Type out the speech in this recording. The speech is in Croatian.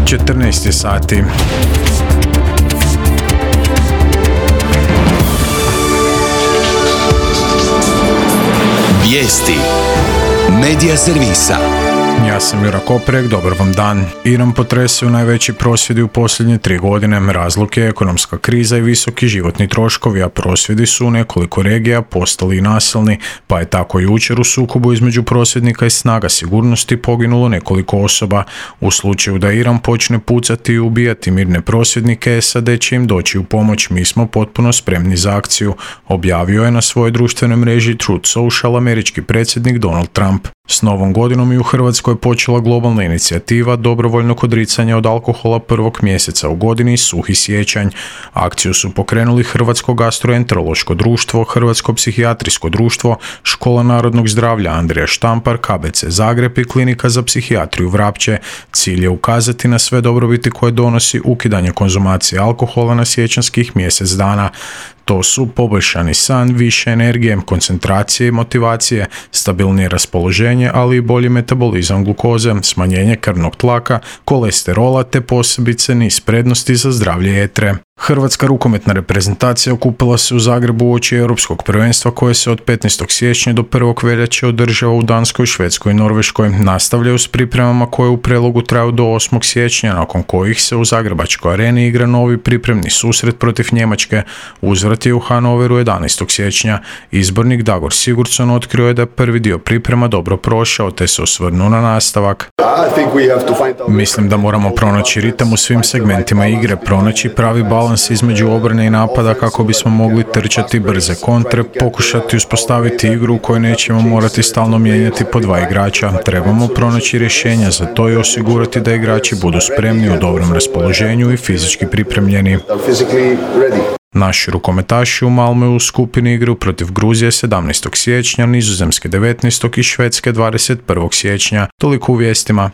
14 je sati. Vijesti Medija servisa. Ja sam Jura Koprek, dobar vam dan. Iran potresaju najveći prosvjedi u posljednje 3 godine. Razlog je ekonomska kriza i visoki životni troškovi, a prosvjedi su u nekoliko regija postali i nasilni, pa je tako jučer u sukobu između prosvjednika i snaga sigurnosti poginulo nekoliko osoba. U slučaju da Iran počne pucati i ubijati mirne prosvjednike, SAD će im doći u pomoć. Mi smo potpuno spremni za akciju, objavio je na svojoj društvenoj mreži Truth Social američki predsjednik Donald Trump. S novom godinom i u Hrvatskoj je počela globalna inicijativa dobrovoljnog odricanja od alkohola prvog mjeseca u godini Suhi siječanj. Akciju su pokrenuli Hrvatsko gastroenterološko društvo, Hrvatsko psihijatrijsko društvo, Škola narodnog zdravlja Andrija Štampar, KBC Zagreb i Klinika za psihijatriju Vrapče. Cilj je ukazati na sve dobrobiti koje donosi ukidanje konzumacije alkohola na siječanjskih mjesec dana. To su poboljšani san, više energije, koncentracije i motivacije, stabilnije raspoloženje, ali i bolji metabolizam glukoze, smanjenje krvnog tlaka, kolesterola te posebice niz prednosti za zdravlje jetre. Hrvatska rukometna reprezentacija okupila se u Zagrebu uoči Europskog prvenstva koje se od 15. siječnja do 1. veljače održava u Danskoj, Švedskoj i Norveškoj. Nastavljaju s pripremama koje u prelogu traju do 8. siječnja, nakon kojih se u Zagrebačkoj areni igra novi pripremni susret protiv Njemačke. Uzvrat je u Hanoveru 11. siječnja. Izbornik Dagor Sigurdsson otkrio je da je prvi dio priprema dobro prošao, te se osvrnuo na nastavak. Mislim da moramo pronaći ritam u svim segmentima igre, pronaći pravi balans između obrane i napada kako bismo mogli trčati brze kontre, pokušati uspostaviti igru u kojoj nećemo morati stalno mijenjati po 2 igrača. Trebamo pronaći rješenja za to i osigurati da igrači budu spremni, u dobrom raspoloženju i fizički pripremljeni. Naši rukometaši u Malmeu u skupini igru protiv Gruzije 17. siječnja, Nizozemske 19. i Švedske 21. siječnja. Toliko u vijestima.